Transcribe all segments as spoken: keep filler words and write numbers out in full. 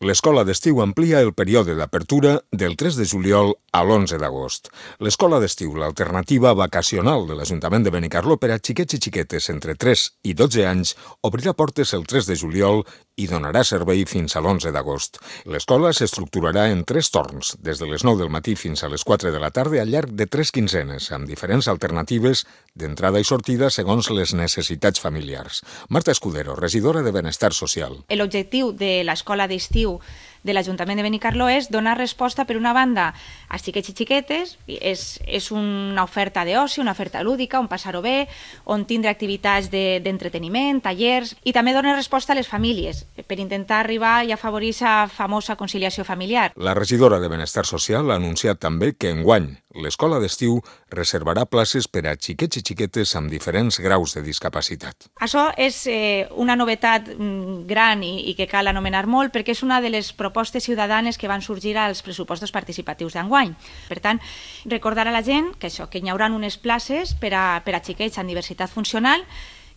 L'escola d'estiu amplia el període d'apertura del tres de juliol a l'onze d'agost. L'escola d'estiu, l'alternativa vacacional de l'Ajuntament de Benicarló per a xiquets i xiquetes entre tres i dotze anys, obrirà portes el tres de juliol i donarà servei fins a l'onze d'agost. L'escola s'estructurarà en tres torns, des de les nou del matí fins a les quatre de la tarda al llarg de tres quinzenes, amb diferents alternatives d'entrada i sortida segons les necessitats familiars. Marta Escudero, regidora de Benestar Social. L'objectiu de l'escola d'estiu de l'Ajuntament de Benicarló és donar resposta, per una banda, als xiquets i xiquetes. És, és una oferta d'oci, una oferta lúdica, on passar-ho bé, on tindre activitats d'entreteniment, de, tallers, i també donar resposta a les famílies, per intentar arribar i afavorir la famosa conciliació familiar. La regidora de Benestar Social ha anunciat també que enguany l'escola d'estiu reservarà places per a xiquets i xiquetes amb diferents graus de discapacitat. Això és eh, una novetat gran i, i que cal anomenar molt, perquè és una de les propostes ciutadanes que van sorgir als pressupostos participatius d'enguany. Per tant, recordar a la gent que això, que hi haurà unes places per a, per a xiquets amb diversitat funcional,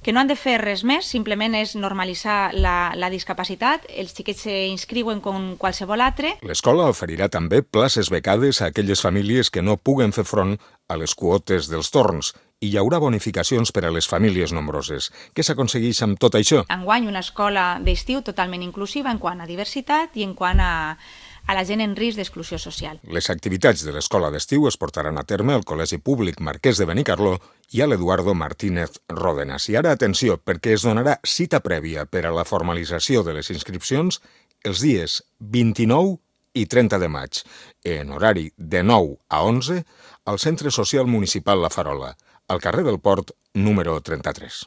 que no han de fer res més, simplement és normalitzar la, la discapacitat, els xiquets s'inscriuen com qualsevol altre. L'escola oferirà també places becades a aquelles famílies que no puguen fer front a les quotes dels torns, i hi haurà bonificacions per a les famílies nombroses. Què s'aconsegueix amb tot això? Enguany una escola d'estiu totalment inclusiva en quant a diversitat i en quant a a la gent en risc d'exclusió social. Les activitats de l'escola d'estiu es portaran a terme al Col·legi Públic Marquès de Benicarló i a l'Eduardo Martínez Ródenas. I ara, atenció, perquè es donarà cita prèvia per a la formalització de les inscripcions els dies vint-i-nou i trenta de maig, en horari de nou a onze, al Centre Social Municipal La Farola, al carrer del Port, número trenta-tres.